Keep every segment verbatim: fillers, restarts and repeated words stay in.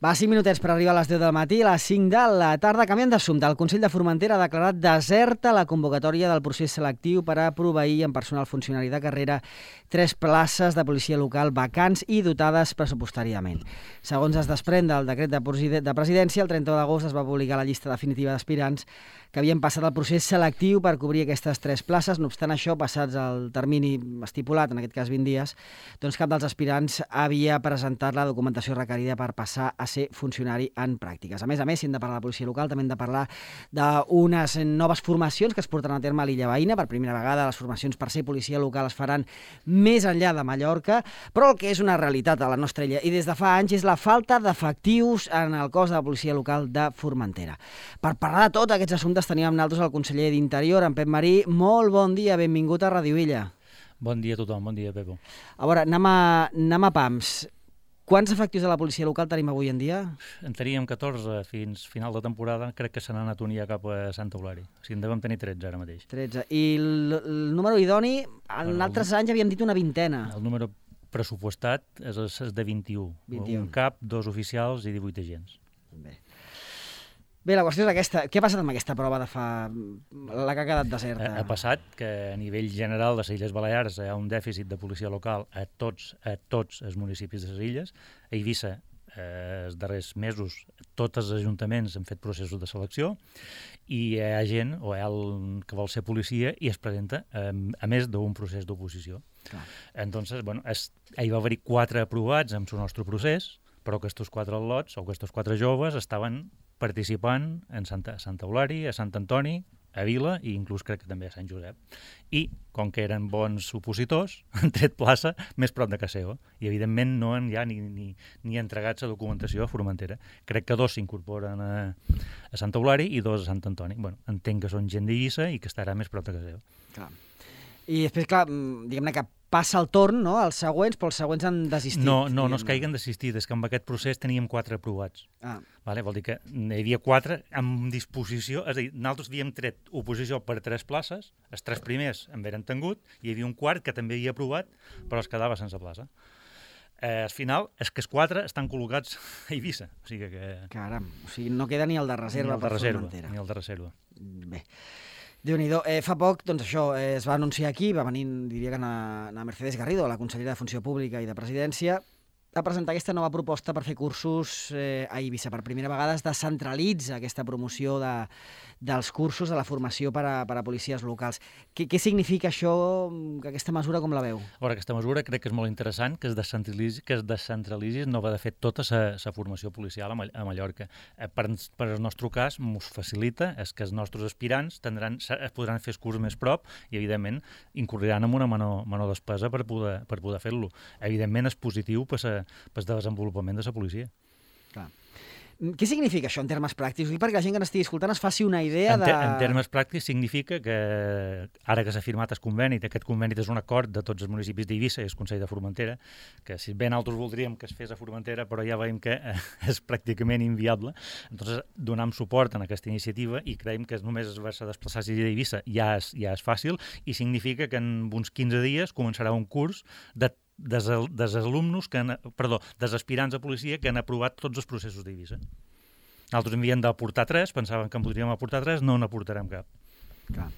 Va, cinc minutets per arribar a les deu del matí, a les cinc de la tarda. Canviant d'assumpte, el Consell de Formentera ha declarat deserta la convocatòria del procés selectiu per a proveir en personal funcionari de carrera tres places de policia local vacants i dotades pressupostàriament. Segons es desprèn del decret de presidència, el trenta d'agost es va publicar la llista definitiva d'aspirants que havien passat el procés selectiu per cobrir aquestes tres places. No obstant això, passats el termini estipulat, en aquest cas vint dies, doncs cap dels aspirants havia presentat la documentació requerida per passar a ser funcionari en pràctiques. A més a més, si hem de parlar de policia local, també hem de parlar d'unes noves formacions que es portaran a terme a l'Illa Veïna. Per primera vegada, les formacions per ser policia local es faran més enllà de Mallorca, però el que és una realitat a la nostra illa i des de fa anys és la falta d'efectius en el cos de la policia local de Formentera. Per parlar de tots aquests assumptes tenim amb nosaltres el conseller d'Interior, en Pep Marí. Molt bon dia, benvingut a Ràdio Illa. Bon dia a tothom, bon dia, Pepo. A veure, anem a, anem a pams. Quants efectius de la policia local tenim avui en dia? En teníem catorze fins final de temporada, crec que se n'han anat un ja cap a Santa Eulària. O sigui, en devem tenir tretze ara mateix. tretze. I el, el número idoni, en bueno, altres anys havíem dit una vintena. El número pressupostat és, és de vint-i-u. vint-i-u. Un cap, dos oficials i divuit agents. Bé. Bé, la qüestió és aquesta. Què ha passat amb aquesta prova de fa... la que ha quedat deserta? Ha, ha passat que a nivell general de les Illes Balears hi ha un dèficit de policia local a tots, a tots els municipis de les illes. A Eivissa, eh, els darrers mesos, tots els ajuntaments han fet processos de selecció i hi ha gent, o hi ha el que vol ser policia, i es presenta eh, a més d'un procés d'oposició. Entonces, bueno, es, hi va haver quatre aprovats amb el nostre procés, però aquests quatre lots, o aquests quatre joves, estaven participant en Santa, Santa Eulària, a Sant Antoni, a Vila i inclús crec que també a Sant Josep. I, com que eren bons opositors, han tret plaça més prop de casa seva. I, evidentment, no han ja ni, ni, ni entregat la documentació a Formentera. Crec que dos s'incorporen a, a Santa Eulària i dos a Sant Antoni. Bueno, entenc que són gent d'Eivissa i que estarà més prop de casa seva. Clar. I després, clar, diguem-ne que passa el torn, no?, als següents, però els següents han desistit. No, no, no es caiguen desistit, és que amb aquest procés teníem quatre aprovats. Ah. Vale? Vol dir que hi havia quatre amb disposició, és a dir, nosaltres havíem tret oposició per tres places, els tres primers en eren tingut, i hi havia un quart que també havia aprovat, però es quedava sense plaça. Eh, al final, és que els quatre estan col·locats a Eivissa. O sigui que... Caram, o sigui, no queda ni el de reserva per Formentera. Ni el de reserva. Bé. Déu-n'hi-do. Eh, fa poc, doncs això, eh, es va anunciar aquí, va venir, diria que na, na Mercedes Garrido, la consellera de Funció Pública i de Presidència, a presentar aquesta nova proposta per fer cursos eh, a Eivissa. Per primera vegada es descentralitza aquesta promoció de, dels cursos de la formació per a, per a policies locals. Què, què significa això, que aquesta mesura, com la veu? A veure, aquesta mesura crec que és molt interessant, que es descentralitzi, que es descentralitzi no va de fet tota la formació policial a, a Mallorca. Eh, per, per el nostre cas, ens facilita és que els nostres aspirants tindran, es podran fer els cursos més prop i, evidentment, incorriran amb una menor, menor despesa per poder, per poder fer-lo. Evidentment, és positiu per a pel desenvolupament de la policia. Clar. Què significa això en termes pràctics? Perquè la gent que n'estigui escoltant es faci una idea de... En, te en termes pràctics significa que ara que s'ha firmat el conveni, aquest conveni és un acord de tots els municipis d'Eivissa i el Consell de Formentera, que si bé nosaltres voldríem que es fes a Formentera, però ja veiem que és pràcticament inviable, doncs donem suport a aquesta iniciativa i creiem que només haver-se desplaçar a Eivissa ja és, ja és fàcil i significa que en uns quinze dies començarà un curs de des, des alumnos, que han, perdó, des aspirants a policia que han aprovat tots els processos d'Eivissa. Nosaltres en havíem d'aportar tres, pensaven que en podríem aportar tres, no n'aportarem cap. Clar.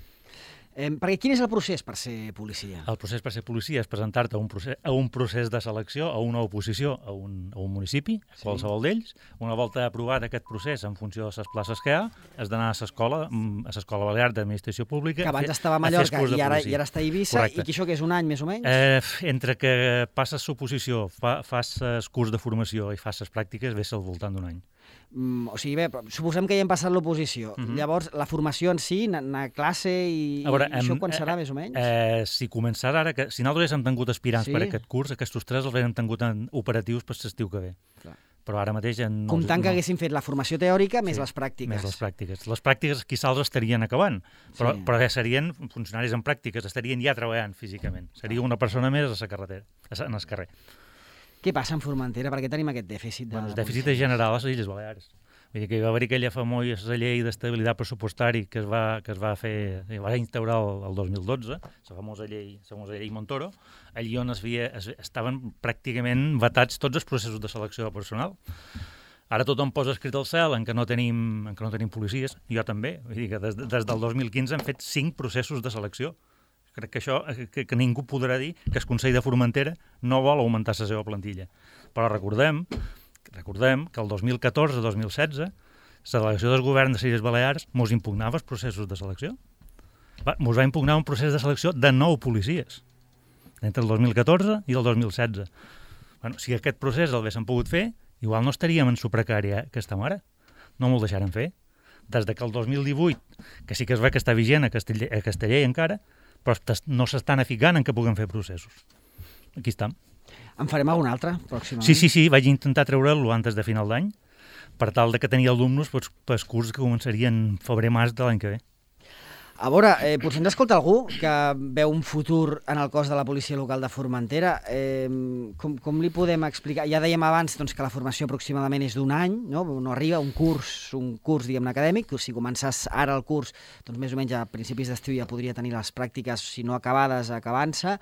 Eh, perquè quin és el procés per ser policia? El procés per ser policia és presentar-te a, un procés, a un procés de selecció, a una oposició a un, a un municipi, a qualsevol sí. d'ells. Una volta aprovat aquest procés en funció de les places que hi ha, has d'anar a l'escola, a l'Escola Balear d'Administració Pública. Que abans estava a Mallorca i ara, i ara està a Eivissa. Correcte. I que això que és un any més o menys? Eh, entre que passes l'oposició, fa, fas el curs de formació i fas les pràctiques, ve al voltant d'un any. Mm, o sigui, bé, suposem que ja hem passat l'oposició. Uh-huh. Llavors, la formació en si, anar a classe i, a veure, i això quan serà, eh, més o menys? Eh, si començarà ara, que, si nosaltres hem tingut aspirants sí. per aquest curs, aquests tres els hem tingut en operatius per l'estiu que ve. Clar. Però ara mateix... Ja no, comptant no. que haguessin fet la formació teòrica més sí, les pràctiques. Més les pràctiques. Les pràctiques quizà els estarien acabant, però, sí. però ja serien funcionaris en pràctiques, estarien ja treballant físicament. Seria una persona més a la carretera, en el carrer. Què passa en Formentera? Per què tenim aquest dèficit? De bueno, el dèficit és general a les Illes Balears. Vull dir que hi va haver aquella famosa llei d'estabilitat pressupostari que es va, que es va fer, es va instaurar el, el dos mil dotze, la famosa llei, la famosa llei Montoro, allí on es havia, es, estaven pràcticament vetats tots els processos de selecció de personal. Ara tothom posa escrit al cel en què no tenim, en què no tenim policies, jo també. Vull dir que des, des del dos mil quinze hem fet cinc processos de selecció. Crec que això, que, que ningú podrà dir que el Consell de Formentera no vol augmentar la seva plantilla. Però recordem, recordem que el dos mil catorze dos mil setze la delegació del govern de les Illes Balears mos impugnava els processos de selecció. Va, mos va impugnar un procés de selecció de nou policies entre el dos mil catorze i el dos mil setze. Bueno, si aquest procés el haguéssim pogut fer, igual no estaríem en su precària que estem ara. No m'ho deixaren fer. Des de que el dos mil divuit, que sí que es ve que està vigent a Casteller, a Casteller encara, però no s'estan aficant en què puguem fer processos. Aquí estem. En farem algun altre, pròximament? Sí, sí, sí, vaig intentar treure'l antes de final d'any, per tal de que tenia alumnes per, per curs que començarien febrer-març de l'any que ve. A veure, eh, potser ens escolta algú que veu un futur en el cos de la policia local de Formentera. Eh, com, com li podem explicar? Ja dèiem abans doncs, que la formació aproximadament és d'un any, no? No arriba un curs, un curs diguem acadèmic. Si començàs ara el curs, doncs més o menys a principis d'estiu ja podria tenir les pràctiques, si no acabades, acabant-se.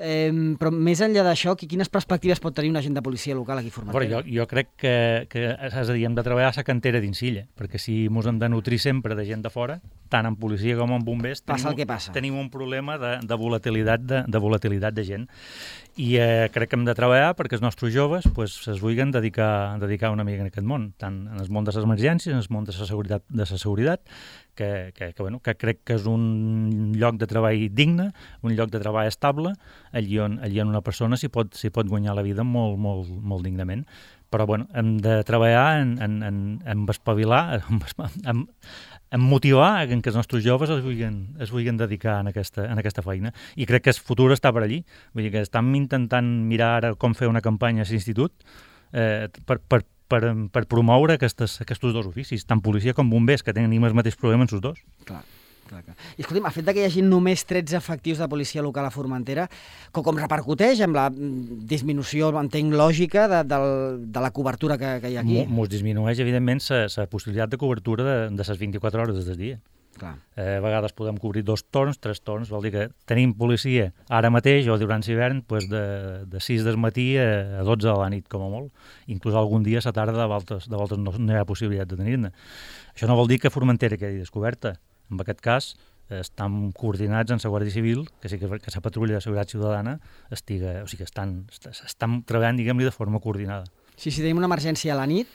Eh, però més enllà d'això, quines perspectives pot tenir un agent de policia local aquí a Formentera? Jo, jo crec que, que és a dir, hem de treballar a la cantera d'Insilla, perquè si ens hem de nutrir sempre de gent de fora, tant en policia com en bombers, passa tenim, el que passa. tenim un problema de, de, volatilitat, de, de volatilitat de gent. I eh, crec que hem de treballar perquè els nostres joves pues, es vulguin dedicar, dedicar una mica en aquest món, tant en el món de les emergències, en el món de la seguretat, de la seguretat que, que, que, bueno, que crec que és un lloc de treball digne, un lloc de treball estable, allí on, allí on una persona s'hi pot, s'hi pot guanyar la vida molt, molt, molt dignament. Però bueno, hem de treballar en, en, en, en espavilar, en, en, en motivar en que els nostres joves es vulguin, es vulguin dedicar en aquesta, en aquesta feina. I crec que el futur està per allí. Vull dir que estem intentant mirar ara com fer una campanya a l'institut eh, per, per, per, per promoure aquestes, aquests dos oficis, tant policia com bombers, que tenen el mateix problema en els dos. Clar. I escolti'm, el fet que hi hagi només tretze efectius de policia local a Formentera, com, com repercuteix amb la disminució, entenc, lògica de, de, de la cobertura que, que hi ha aquí? Ens disminueix, evidentment, la possibilitat de cobertura de, de les vint-i-quatre hores del dia. Clar. Eh, a vegades podem cobrir dos torns, tres torns, vol dir que tenim policia ara mateix o durant l'hivern pues de, de sis del matí a dotze de la nit, com a molt. Inclús algun dia a la tarda de voltes, de voltes no, no hi ha possibilitat de tenir-ne. Això no vol dir que Formentera quedi descoberta. En aquest cas, estan coordinats en la Guàrdia Civil, que sí que, que la patrulla de seguretat ciutadana estiga, o sigui que estan, estan treballant, diguem-li, de forma coordinada. Sí, si tenim una emergència a la nit,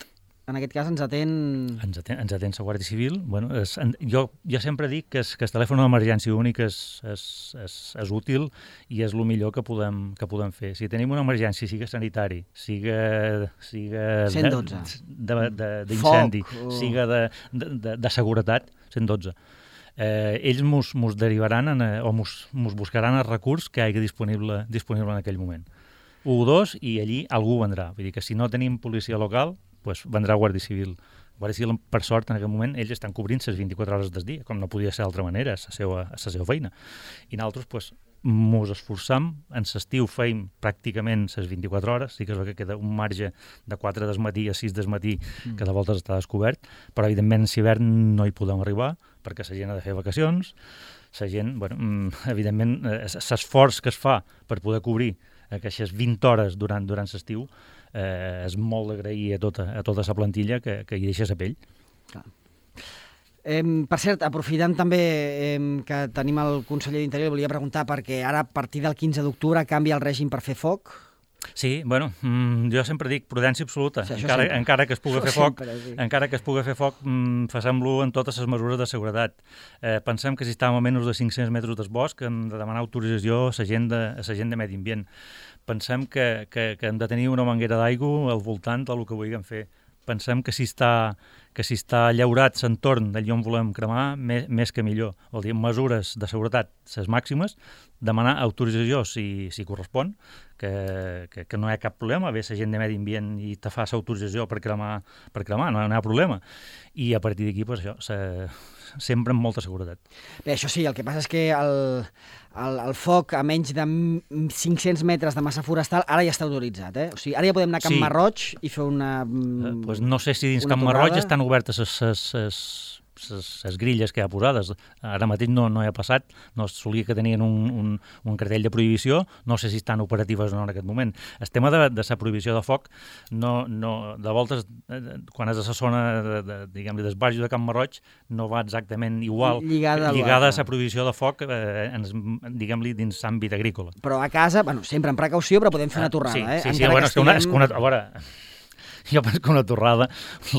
en aquest cas ens atén... Ens atén, ens atén la Guàrdia Civil. Bueno, és, jo, jo sempre dic que, és, que el telèfon d'emergència únic és, és, és, és útil i és el millor que podem, que podem fer. Si tenim una emergència, siga sanitari, siga, siga cent dotze. d'incendi, o... siga de, de, de, de seguretat, cent dotze. Eh, ells mos, mos derivaran en, o mos, mos buscaran el recurs que hi hagi disponible, disponible en aquell moment. u o dos i allí algú vendrà. Vull dir que si no tenim policia local, pues vendrà Guàrdia Civil. Guàrdia Civil, per sort, en aquest moment, ells estan cobrint les vint-i-quatre hores del dia, com no podia ser d'altra manera, a la seva, a la seva feina. I nosaltres, pues, mos esforçam, en l'estiu feim pràcticament les vint-i-quatre hores, sí que és que queda un marge de quatre del matí a sis del matí que de voltes està descobert, però evidentment en l'hivern no hi podem arribar, perquè la gent ha de fer vacacions, la gent, bueno, evidentment, l'esforç que es fa per poder cobrir aquestes vint hores durant, durant l'estiu eh, és molt d'agrair a tota, a tota la plantilla que, que hi deixa la pell. Clar. Eh, per cert, aprofitant també eh, que tenim el conseller d'Interior, volia preguntar perquè ara a partir del quinze d'octubre canvia el règim per fer foc. Sí, bueno, mm, jo sempre dic prudència absoluta. Sí, encara, encara que es pugui fer foc, sempre, sí. encara que es pugui fer foc, mm, facem-lo en totes les mesures de seguretat. Eh, pensem que si estàvem a menys de cinc-cents metres del bosc hem de demanar autorització a la gent de, a la gent de Medi Ambient. Pensem que, que, que hem de tenir una manguera d'aigua al voltant del que vulguem fer. Pensem que si està, que si està llaurat l'entorn d'allà on volem cremar, més, més que millor. Vol dir, mesures de seguretat, les màximes, demanar autorització si, si correspon, que, que, que no hi ha cap problema, ve la gent de Medi Ambient i te fa l'autorització per cremar, per cremar, no, no hi ha problema. I a partir d'aquí, pues, això, se, sempre amb molta seguretat. Bé, això sí, el que passa és que el, el, el foc a menys de cinc-cents metres de massa forestal ara ja està autoritzat, eh? O sigui, ara ja podem anar a Camp Sí. Marroig i fer una... Eh, pues no sé si dins una Camp Marroig torrada. estan obertes les, les, les, les grilles que hi ha posades. Ara mateix no, no hi ha passat, no es solia que tenien un, un, un cartell de prohibició, no sé si estan operatives o no en aquest moment. El tema de, de la prohibició de foc, no, no, de voltes, quan és a la zona de, de, diguem-li, del Baix de Can Marroig, no va exactament igual, lligada, lligada a la prohibició de foc, eh, diguem-li, dins l'àmbit agrícola. Però a casa, bueno, sempre amb precaució, però podem fer una torrada, sí, eh? Sí, sí, sí, bueno, és que una, és que una, a veure, jo penso que una torrada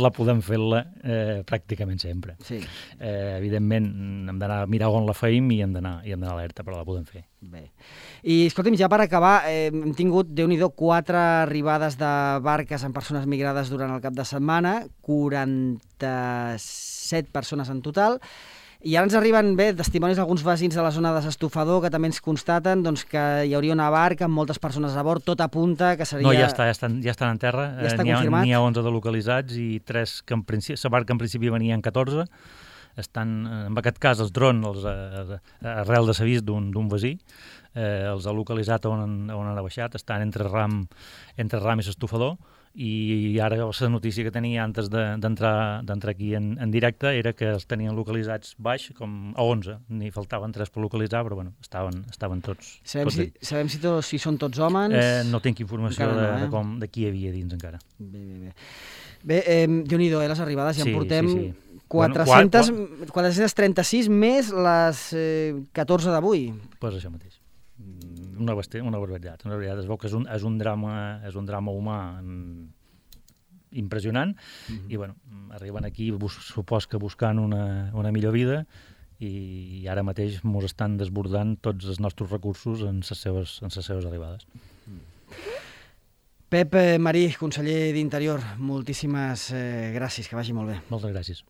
la podem fer-la eh, pràcticament sempre. Sí. Eh, evidentment, hem d'anar a mirar on la feim i hem d'anar i hem d'anar alerta, però la podem fer. Bé. I, escolti'm, ja per acabar, eh, hem tingut, Déu-n'hi-do, quatre arribades de barques amb persones migrades durant el cap de setmana, quaranta-set persones en total, i ara ens arriben bé testimonis d'alguns veïns de la zona de s'Estufador que també ens constaten doncs, que hi hauria una barca amb moltes persones a bord, tot apunta que seria... No, ja, està, ja, estan, ja estan en terra, ja està n'hi ha, confirmat? n'hi ha onze de localitzats i tres que en principi, la barca en principi venien catorze, estan, en aquest cas els drons, els, eh, arrel de l'avís d'un veí, eh, els ha localitzat on, on han baixat, estan entre Ram, entre Ram i s'Estufador, i ara la notícia que tenia antes d'entrar d'entrar aquí en, en directe era que els tenien localitzats baix, com a onze, n'hi faltaven tres per localitzar, però bueno, estaven, estaven tots. Sabem, tots si, sabem si, tots, si són tots homes? Eh, no tinc informació no, de, eh? de, com, de qui hi havia dins encara. Bé, bé, bé. Bé, eh, Déu-n'hi-do, eh, les arribades, ja sí, en portem sí, sí. quatre-centes, Bueno, quatre-centes trenta-sis més les eh, catorze d'avui. Doncs pues això mateix. Una, una barbaritat, una barbaritat. Es veu que és un, és un, drama, és un drama humà impressionant, mm-hmm. i bueno, arriben aquí, supos que buscant una, una millor vida, i ara mateix ens estan desbordant tots els nostres recursos en les seves, en les seves arribades. Pep Marí, conseller d'Interior, moltíssimes eh, gràcies, que vagi molt bé. Moltes gràcies.